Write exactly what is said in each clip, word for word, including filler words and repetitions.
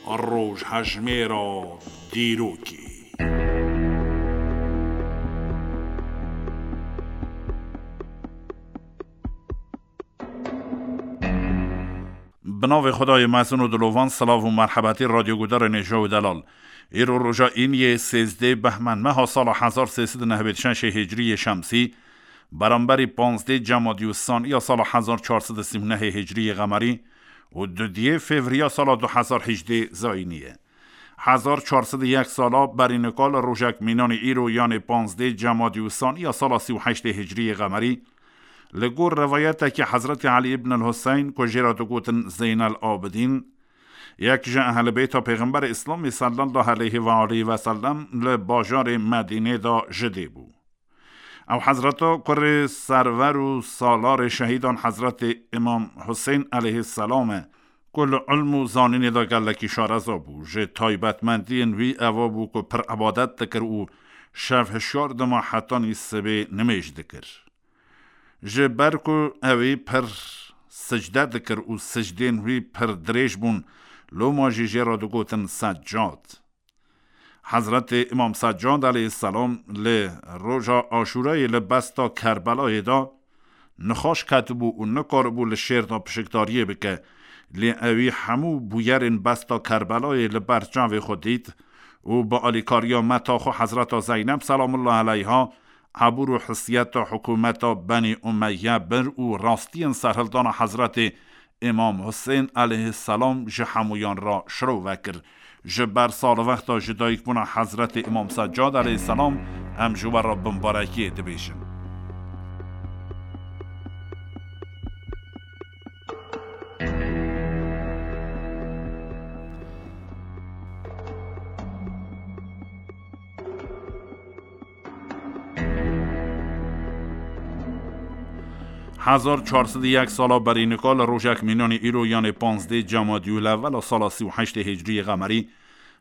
Rojhejmêra dîrokê. Bi navê Xwedayê mezin û dilovan, silav û merhebetî radyogudarên hêja û delal. Îro roja îniyê sêzdeh behmend meha sala hezar sê sed û nehwêd şeşê hicriyê şemsî, beramberî panzdeh Cemadî û Saniya sala hezar çar sed û sî û nehê hicriyê qemerî û dudiyê Fevriya sala du hezar hejdeh zayînî ye. Hezar çar sed û yek sala berî nika li rojek mînanî îro, yanê panzdeh Cemadî û Saniya sala sî û heştê hicriyê qemerî, li gor rivayetekî Hezretî Elî ibn el Huseyn ku jê re digotin Zeynel Abidîn, yek ji ehlibeyta Pêxemberê Îslamê sallallahu aleyhi ve aleyhi ve sellem li bajarê Medînê de ji dê bû. Ew hezreta kurê server û salarê şehîdan Hezretê Îmam Husên aleyhisselam e, ku li ilm û zanînê de gelekî şareza bû. Ji taybetmendiyên wî eva bû ku pir ebadet dikir û şev hişyar dima hetanî sibê nimêj dikir. Ji ber ku ewî pir sicde dikir û sicdên wî pir dirêj bûn, loma jî jê re digotin Seccad. Hezretê Îmam Seccad aleyhisselam li roja Aşûrayê li besta Kerbelayê de nixweş ketibû û nikaribû li şêr de pişikdariyê bike. Lê ewî hemû bûyerên besta Kerbelayê li ber çavê xwe dît û bi alîkariya meta xwe Hezreta Zeyneb selamullah aleyha ebûr û hisiyeta hikûmeta Benî Umeyye bir û rastiyên serhildana Hezretê Îmam Husên aleyhisselam ji hemûyan re şirove kir. Ji ber salvexta ji dayikbûna Hezretê Îmam Seccad aleyhisselam em ji we re bimbarekiyê dibêjin. Hezar çar sed û yek sala berî nika li rojek mînanî îro, yanê panzdeh Cemadî û lewela sala sî û heştê hicriyê qemerî,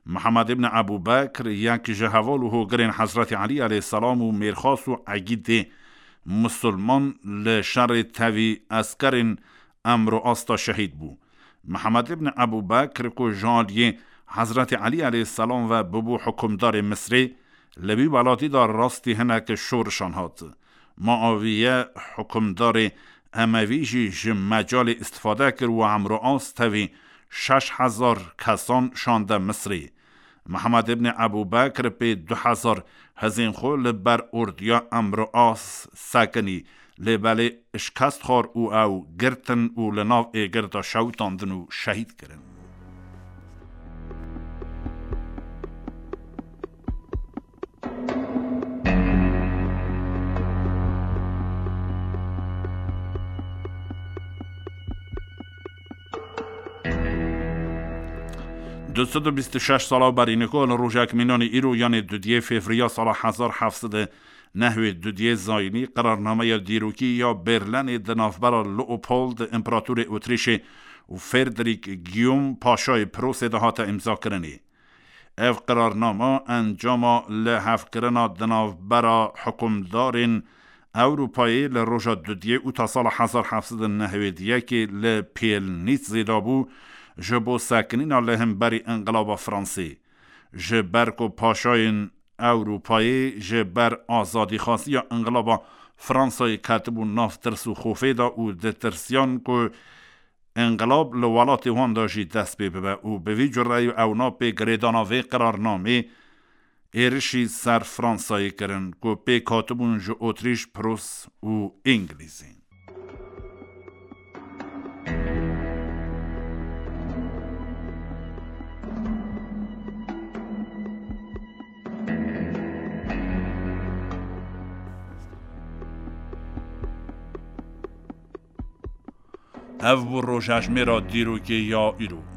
Mihemed ibn Ebû Bekr, yek ji heval û hogirên Hezretî Elî aleyhisselam û mêrxas û egîdê musulman, li şerê tevî eskerên Emr û As de şehîd bû. Mihemed ibn Ebû Bekr ku ji aliyê Hezretî Elî aleyhisselam ve bibû hikûmdarê Misrê, li vî welatî de rastî hinek şorişan hat. Muaviye hikûmdarê Emevî jî ji mecalê îstifade kir û Emr û As tevî şeş hezar kesan şande Misrê. Mihemed ibn Ebû Bekr pê du hezar hizên xwe li ber ordiya Emr û As sekinî, lê belê şikest xwar û ew girtin û li nav êgir de şewitandin û şehîd kirin. Du sed û bîst û şeş sala berî niko li rojek mînanî îro, yanê dudiyê fevriya sala hezar heft sed û nehwê dudiyê zayînî, qerarnameya dîrokî ya Berlenê di navbera Leopold, împeratorê Otrîşê, û Frederick Guillaume, paşayê Prosê de hate îmzakirinê. Ev qerarname encama lihevkirina di navbera hikûmdarên Ewropayê li roja dudiyê û ta sala hezar heft sed û nehwêd yekê li Pielnîtzê de bû, ji bo sekinîna li hemberî înqilaba Fransê. Ji ber ku paşayên Ewropayê ji ber azadîxwaziya înqilaba Fransayê ketibûn nav tirs û xofê de û ditirsiyan ku înqilab li welatê wan de jî dest pê bibe û bi vî cureyî ewna pê girêdana vê qerarnamê êrişî ser Fransayê kirin ku pêk hatibûn ji Otrîş, Prus û Îngilîzê. Ev bû rojhejmêra dîrokê ya îro.